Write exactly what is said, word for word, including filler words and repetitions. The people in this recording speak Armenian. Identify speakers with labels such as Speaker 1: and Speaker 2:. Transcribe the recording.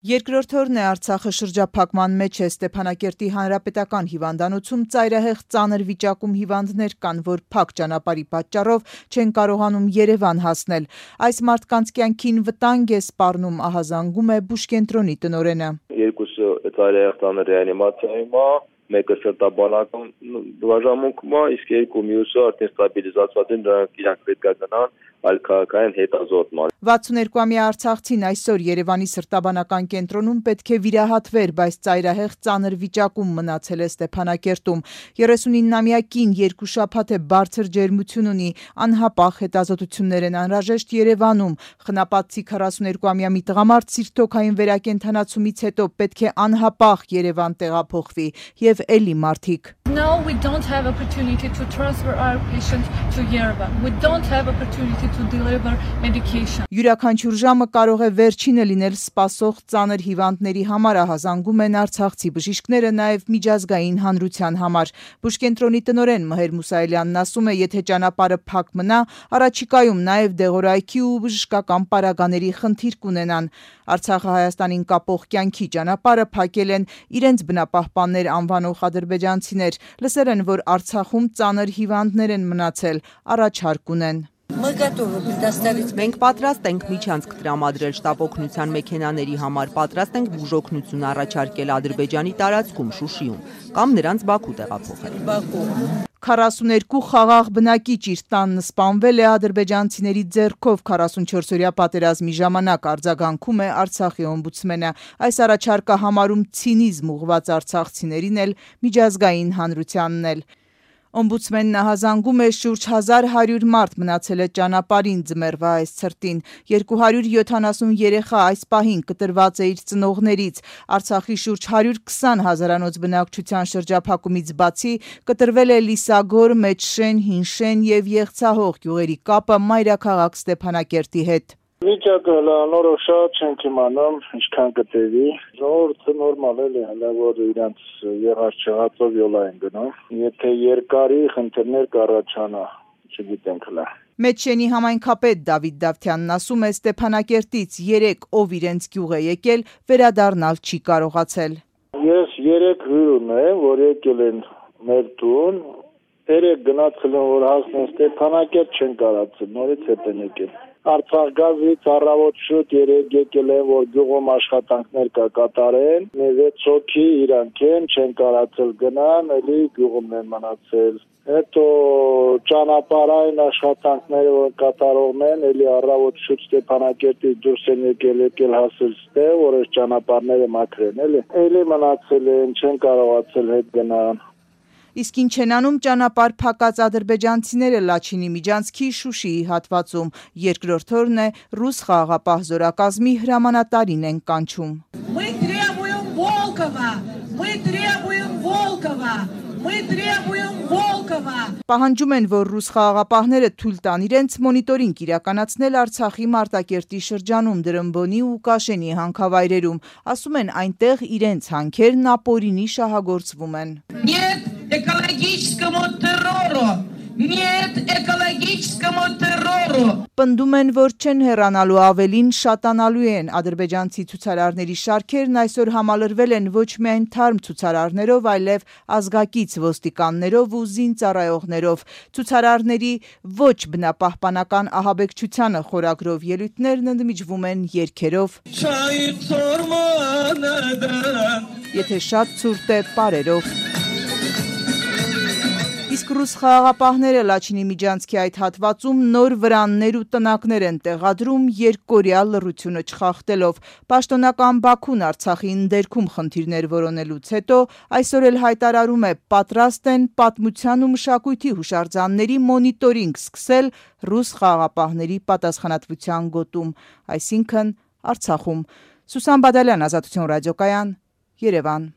Speaker 1: Երկրորդ օրն է Արցախը շրջափակման մեջ է Ստեփանակերտի հանրապետական հիվանդանոցում ծայրահեղ ծանր վիճակում հիվանդներ կան, որ փակ ճանապարհի պատճառով չեն կարողանում Երևան հասնել։ Այս մարդկանց կյանքին վտանգ է սպառնում, ահազանգում է բուժկենտրոնի տնօրենը։
Speaker 2: Երկուսը ծայրահեղ ծանր ռեանիմացիայում է, մեկը սրտաբանական բաժանմունքում է, իսկ երկու մյուսը արդեն ստաբիլիզացված են, նրանք իրանք պետք է գնան այլ քաղաքային հետազոտման։
Speaker 1: վաթսունհինգամյա արցախցին այսօր Երևանի սրտաբանական կենտրոնում պետք է վիրահատվեր, բայց ծայրահեղ ծանր վիճակում մնացել է Ստեփանակերտում։ երեսունինամյա կին երկու շաբաթ է բարձր ջերմություն ունի, անհապաղ հետազոտություններ են անհրաժեշտ Երևանում։ Խնապատցի քառասուներկուամյա մի տղամարդ սիրտոքային վերակենդանացումից հետո պետք է անհապաղ Երևան տեղափոխվի եւ էլի մարդիկ։
Speaker 3: No, we don't have opportunity to transfer our patient to Yerevan. We don't have opportunity to deliver medication.
Speaker 1: Յուրաքանչյուր ժամը կարող է վերջինը լինել սպասող ծանր հիվանդների համար, ահազանգում են արցախցի բժիշկները նաև միջազգային հանրության համար։ Բուժկենտրոնի տնօրեն Մհեր Մուսայելյանն ասում է, եթե ճանապարհը փակ մնա, առաջիկայում նաև դեղորայքի ու բժշկական պարագաների խնդիր կունենան։ Արցախը Հայաստանին կապող կյանքի ճանապարհը փակել են իրենց բնապահպաններ անվանող ադրբեջանցիներ։ Լսել են, որ Արցախում ծանր հիվանդներ են մնացել, առաջարկ ունեն։
Speaker 4: Մենք պատրաստ ենք միջանցք տրամադրել շտապ օգնության մեքենաների համար, պատրաստ ենք բուժօգնություն առաջարկել Ադրբեջանի տարածքում, Շուշիում, կամ նրանց Բաքու տեղափոխել։
Speaker 1: քառասուներկու խաղաղ բնակիչ իր տանն սպանվել է ադրբեջանցիների ձեռքով քառասունչորսօրյա պատերազմի ժամանակ, արձագանքում է Արցախի օմբուդսմենը։ Այս առաջարկը համարում ցինիզմ ուղղված արցախցիներին էլ, միջազգային հանրությանն էլ։ Օմբուդսմենն ահազանգում է շուրջ հազար հարյուր մարդ մնացել է ճանապարհին ձմեռվա այս ցրտին, երկու հարյուր յոթանասուն երեխա այս պահին կտրված է իր ծնողներից։ Արցախի շուրջ հարյուր քսան հազարանոց բնակչության շրջափակումից բացի կտրվել է Լիսագոր, Մեջշեն, Հինշեն եւ Եղցահող գյուղերի կապը մայրաքաղաք Ստեփանակերտի հետ։
Speaker 5: Վիճակը նորոշ չենք իմանում, ինչքան կտևի։ Ժողովուրդը նորմալ է, հələ որ իրանց եղած չեղածով յոլա են գնում։ Եթե երկարի խնդիրներ կառաջանա, չգիտենք հələ։
Speaker 1: Մեջշենի համայնքապետ Դավիթ Դավթյանն ասում է, Ստեփանակերտից երեք ով իրենց գյուղ է եկել, վերադառնալ չի կարողացել։
Speaker 5: Ես երեք հյուր ունեմ, որ եկել են մեր տուն, երեք գնացել են, որ հասնեն Ստեփանակերտ չեն կարողացել, նորից հետ են եկել։ Արցախ գազից առավոտ շուտ երեք եկել են, որ գյուղում աշխատանքներ կա կատարեն, վեց հոգի իրանք են, չեն կարողացել գնան, էլի գյուղում են մնացել։ Հետո ճանապարհային աշխատանքները որ կատարողն են, էլի առավոտ շուտ Ստեփանակերտից դուրս են եկել, եկել հասել ստեղ, որ այս ճանապարհները մաքրեն, էլի։ Էլի մնացել են, չեն կարողացել հետ գնան։
Speaker 1: Իսկ ինչ են անում ճանապարհ փակած ադրբեջանցիները Լաչինի միջանցքի Շուշիի հատվածում։ Երկրորդ օրն է ռուս խաղաղապահ զորակազմի հրամանատարին են կանչում։
Speaker 6: Мы требуем Волкова, мы требуем Волкова, мы требуем Волкова։
Speaker 1: Պահանջում են, որ ռուս խաղաղապահները թույլ տան իրենց մոնիտորինգ իրականացնել Արցախի Մարտակերտի շրջանում, Դրմբոնի ու Կաշենի հանքավայրերում։ Ասում են, այնտեղ իրենց հանքերն ապօրինի շահագործվում են։
Speaker 6: Нет экологическому террору, нет экологическому террору։
Speaker 1: Պնդում են, որ չեն հեռանալու, ավելին շատանալու են։ Ադրբեջանցի ցուցարարների շարքերն այսօր համալրվել են ոչ միայն թարմ ցուցարարներով, այլև ազգակից ոստիկաններով ու զինծառայողներով։ Ցուցարարների ոչ բնապահպանական ահաբեկչությանը խորագրով ելույթներն ընդմիջվում են երգերով։ Եթե շատ ցուրտ է, պարերով։ Իսկ ռուս խաղաղապահները Լաչինի միջանցքի այդ հատվածում նոր վրաններ ու տնակներ են տեղադրում երկկորյա լռությունը չխախտելով։ Պաշտոնական Բաքուն Արցախի ընդերքում խնդիրներ որոնելուց հետո այսօր էլ հայտարարում է, պատրաստ են պատմության ու մշակույթի հուշարձանների մոնիտորինգ սկսել ռուս խաղաղապահների պատասխանատվության գոտում, այսինքն Արցախում։ Սուսան Բադալյան, Ազատություն ռադիոկայան, Երևան։